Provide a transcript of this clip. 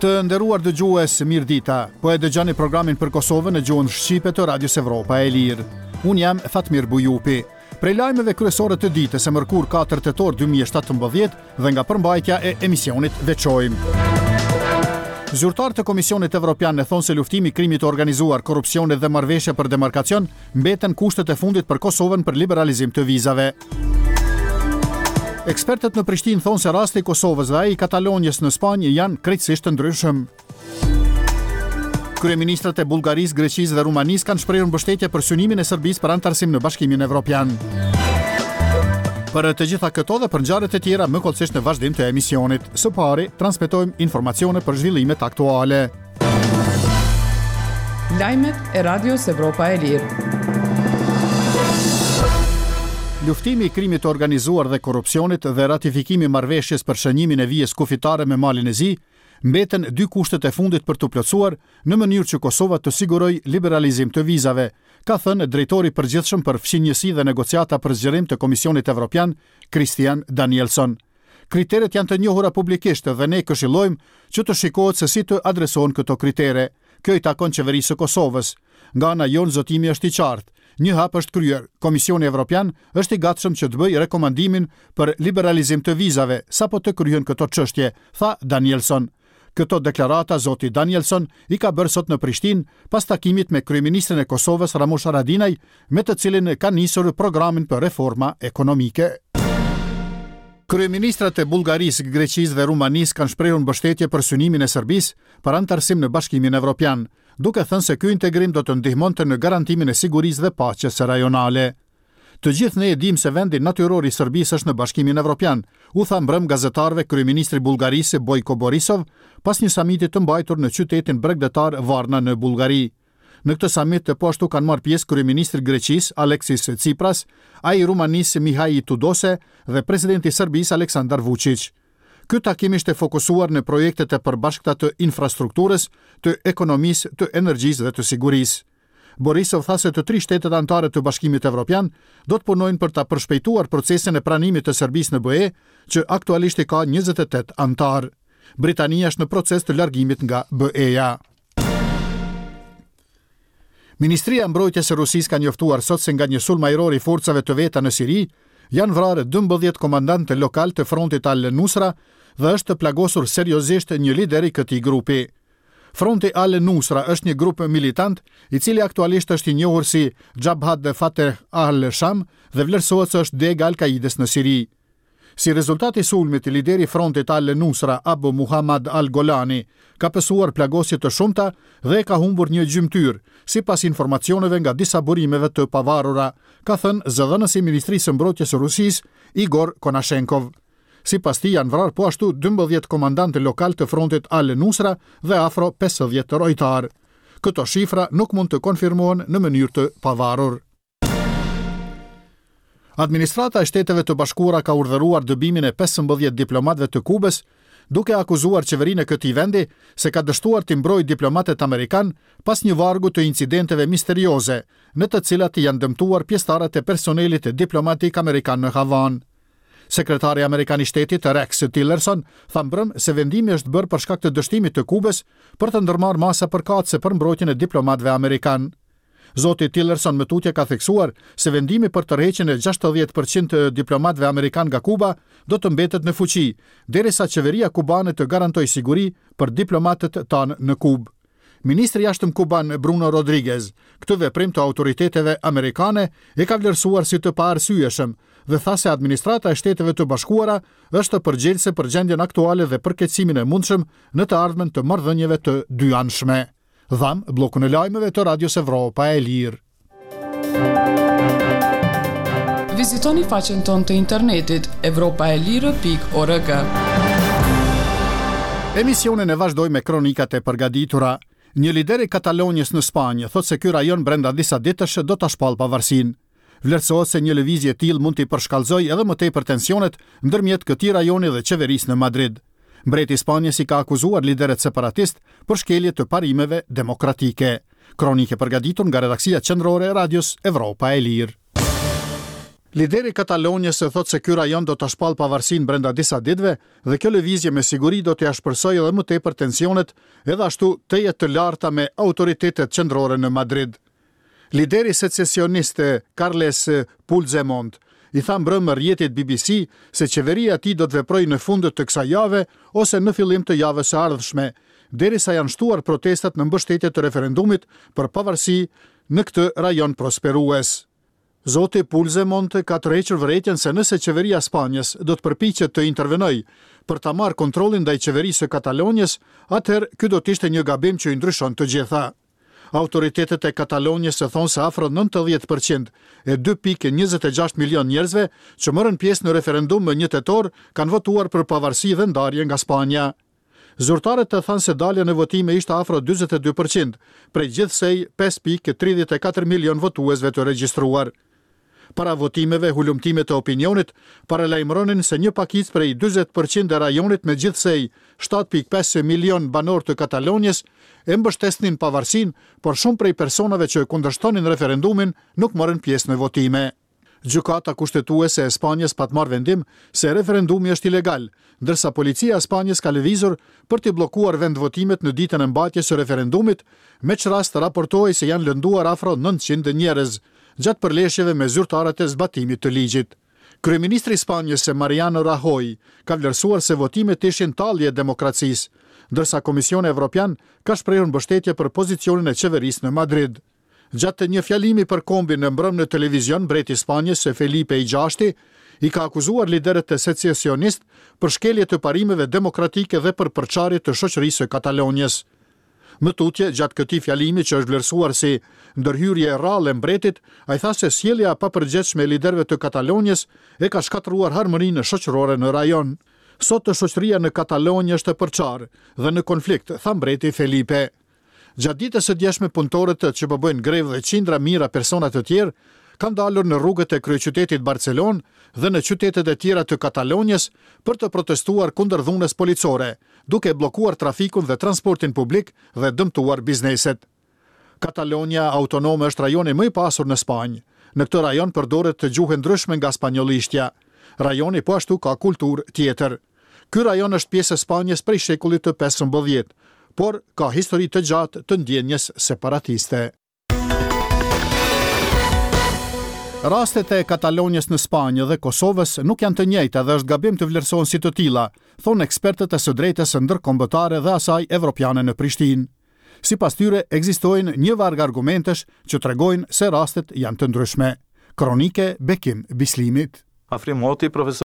Të nderuar dëgjues, mirëdita. Po e dëgjoni programin për Kosovën në gjuhën shqipe të Radios Evropa e Lirë. Unë jam Fatmir Bujupi. Prej lajmeve kryesore të ditës së mërkurë 4 tetor 2017 dhe nga përmbajtja e emisionit veçojmë. Zyrtarë të Komisionit Evropian e thonë se luftimi i krimit të organizuar, korrupsionit dhe marrëveshja për demarkacion mbeten kushtet e fundit për Kosovën për liberalizim të vizave. Ekspertët në Prishtinë thonë se rasti i Kosovës dhe ai i Katalonjës në Spanjë janë krejtësisht të ndryshëm. Kryeministrat e Bullgarisë, Greqisë dhe Rumanisë kanë shprehur mbështetje për synimin e Serbisë për anëtarësim në Bashkimin Evropian. Për të gjitha këto dhe për ngjarjet e tjera më hollësisht në vazhdim të emisionit. Së pari, transmetojmë informacione për zhvillimet aktuale. Lajmet e Radios Evropa e Lirë. Luftimi i krimit të organizuar dhe korrupsionit dhe ratifikimi i marrëveshjes për shënjimin e vijës kufitare me Malin e Zi mbeten dy kushtet e fundit për t'u plotësuar në mënyrë që Kosova të sigurojë liberalizim të vizave, ka thënë drejtori i përgjithshëm për fqinjësi dhe negociata për zgjerim të Komisionit Evropian, Christian Danielsson. Kriteret janë të njohura publikisht dhe ne këshillojmë që të shikohet se si të adresohen këto kritere. Kjo i takon Qeverisë së Kosovës. Nga ana jonë zotimi është i qartë. Një hap është kryer. Komisioni Evropian është i gatshëm që të bëjë rekomandimin për liberalizim të vizave, sapo të kryhen këto çështje, tha Danielsson. Këto deklarata zoti Danielsson i ka bërë sot në Prishtinë, pas takimit me kryeministrin e Kosovës, Ramush Haradinaj, me të cilin kanë nisur programin për reforma ekonomike. Kryeministrat e Bullgarisë, Greqisë dhe Rumanisë kanë shprehur mbështetje për synimin e Serbisë për anëtarësim në Bashkimin Evropian, duke thënë se ky integrim do të ndihmonte në garantimin e sigurisë dhe paqes rajonale. Të gjithë ne e dimë se vendi natyror i Serbisë është në Bashkimin Evropian, u tha mbrëmë gazetarëve kryeministri i Bullgarisë Bojko Borisov pas një samiti të mbajtur në qytetin bregdetar Varna në Bullgari. Në këtë samit po ashtu kanë marrë pjesë kryeministri i Greqisë, Aleksis Tsipras, ai i Rumanisë Mihai Tudose dhe presidenti i Serbisë Aleksandar Vuçiq. Ky takim ishte fokusuar në projektet e përbashkëta të infrastrukturës, të ekonomisë, të energjisë dhe të sigurisë. Borisov tha se të tri shtetet anëtare të Bashkimit Evropian do të punojnë për ta përshpejtuar procesin e pranimit të Serbisë në BE, që aktualisht i ka 28 anëtarë. Britania është në proces të largimit nga BE-ja. Ministria e Mbrojtjes e Rusisë ka njoftuar sot se nga një sulm ajror i forcave të veta në Siri, janë vrarë 12 komandantë lokalë të frontit Al-Nusra dhe është plagosur seriozisht një lider i këtij grupi. Fronti Al-Nusra është një grup militant, i cili aktualisht është i njohur si Jabhat Fateh al-Sham dhe vlerësohet se është degë e Al-Kaidës në Siri. Si rezultat i sulmit, lideri i frontit Al-Nusra, Abu Muhammad al-Golani, ka pësuar plagosje të shumta dhe e ka humbur një gjymtyrë, sipas informacioneve nga disa burimeve të pavarura, ka thënë zëdhënësi i Ministrisë së Mbrojtjes së Rusisë, Igor Konashenkov. Sipas tij janë vrarë po ashtu 12 komandantë lokalë të frontit Al-Nusra dhe afro 50 rojtarë. Këto shifra nuk mund të konfirmohen në mënyrë të pavarur. Administrata e Shteteve të Bashkuara ka urdhëruar dëbimin e 15 diplomatëve të Kubës, duke akuzuar qeverinë e këtij vendi se ka dështuar t'i mbrojë diplomatët amerikanë pas një vargu të incidenteve misterioze, në të cilat janë dëmtuar pjesëtarët e personelit diplomatik amerikan në Havanë. Sekretari amerikan i Shtetit, Rex Tillerson, tha mbrëmë se vendimi është bërë për shkak të dështimit të Kubës për të ndërmarrë masa përkatëse për mbrojtjen e diplomatëve amerikanë. Zoti Tillerson më tutje ka theksuar se vendimi për tërheqjen e 60 për qind të diplomatëve amerikanë nga Kuba do të mbetet në fuqi, derisa qeveria kubane të garantojë siguri për diplomatët tanë në Kubë. Ministri i Jashtëm kuban Bruno Rodriguez, këtë veprim të autoriteteve amerikane e ka vlerësuar si të paarsyeshëm dhe tha se administrata e Shteteve të Bashkuara është përgjegjëse për gjendjen aktuale dhe përkeqësimin e mundshëm në të ardhmen të marrëdhënieve të dyanshme. Dhamë bllokun e lajmeve të Radios Evropa e Lirë. Vizitoni faqen tonë të internetit evropaelire.org. Emisionin e vazhdojmë me kronikat e përgatitura. Një lider i Katalonjës në Spanjë thotë se ky rajon brenda disa ditësh do ta shpallë pavarësinë. Vlerësohet se një lëvizje e tillë mund t'i përshkallëzojë edhe më tepër tensionet ndërmjet këtij rajoni dhe qeverisë në Madrid. Mbreti i Spanjës i ka akuzuar liderët separatistë për shkelje të parimeve demokratike. Kronikë e përgatitur nga redaksia qendrore e Radios Evropa e Lirë. Lideri i Katalonjës thotë se ky rajon do ta shpallë pavarësinë brenda disa ditëve dhe kjo lëvizje me siguri do t'i ashpërsojë edhe më tepër tensionet edhe ashtu tejet të larta me autoritetet qendrore në Madrid. Lideri secesionist Carles Puigdemont i tha mbrëmë rrjetit bbc se qeveria e tij do të veprojë në fund të kësaj jave ose në fillim të javës së ardhshme, derisa janë shtuar protestat në mbështetje të referendumit për pavarësi në këtë rajon prosperues. Zoti Puigdemont ka tërhequr vërejtjen se nëse qeveria e Spanjës do të përpiqet të intervenojë për ta marrë kontrollin ndaj qeverisë së Katalonjës, atëherë ky do të ishte një gabim që i ndryshon të gjitha. Autoritetet e Katalonjës thonë se afro 90 për qind e 2.26 milionë njerëzve që morën pjesë në referendum më një tetor kanë votuar për pavarësi dhe ndarje nga Spanja. Zyrtarët thanë se dalja në votime ishte afro 42 për qind, prej gjithsej 5.34 milionë votuesve të regjistruar. Para votimeve, hulumtimet e opinionit paralajmëronin se një pakicë prej 40 për qind e rajonit me gjithsej 7.5 milionë banorë të Katalonjës e mbështesnin pavarësinë, por shumë prej personave që kundërshtonin referendumin nuk morën pjesë në votime. Gjykata Kushtetuese e Spanjës pat marrë vendim se referendumi është ilegal, ndërsa policia e Spanjës ka lëvizur për t'i bllokuar vendvotimet në ditën e mbajtjes së referendumit, me ç'rast raportohej se janë lënduar afro 900 njerëz gjatë përleshjeve me zyrtarët e zbatimit të ligjit. Kryeministri i Spanjës, Mariano Rajoy, ka vlerësuar se votimet ishin tallje e demokracisë, ndërsa Komisioni Evropian ka shprehur mbështetje për pozicionin e qeverisë në Madrid. Gjatë një fjalimi për kombin mbrëmë në televizion, mbreti i Spanjës, Felipe i Gjashti, i ka akuzuar liderët secesionistë për shkelje të parimeve demokratike dhe për përçarje të shoqërisë së Katalonjës. Më tutje, gjatë këtij fjalimi që është vlerësuar si ndërhyrje e rrallë e mbretit, ai tha se sjellja e papërgjegjshme e liderëve të Katalonjës e ka shkatërruar harmoninë shoqërore në rajon. Sot shoqëria në Katalonjë është e përçarë dhe në konflikt, tha mbreti Felipe. Gjatë ditës së djeshme punëtorët që po bëjnë grevë dhe qindra mijëra persona të tjerë kanë dalur në rrugët e kryeqytetit Barcelonë dhe në qytetet e tjera të Katalonjës për të protestuar kundër dhunës policore, duke bllokuar trafikun dhe transportin publik dhe dëmtuar bizneset. Katalonja autonome është rajoni më i pasur në Spanjë. Në këtë rajon përdoret gjuhë e ndryshme nga spanjollishtja. Rajoni po ashtu ka kulturë tjetër. Ky rajon është pjesë e Spanjës prej shekullit të 15, por ka histori të gjatë të ndjenjës separatiste. Rastet e Katalonjës në Spanjë dhe Kosovës nuk janë të njëjta dhe është gabim të vlerësohen si të tilla, thonë ekspertët e së drejtës ndërkombëtare dhe asaj evropiane në Prishtinë. Sipas tyre, ekzistojnë një varg argumentesh që tregojnë se rastet janë të ndryshme. Kronike Bekim Bislimit. Afrim Hoti, profesor.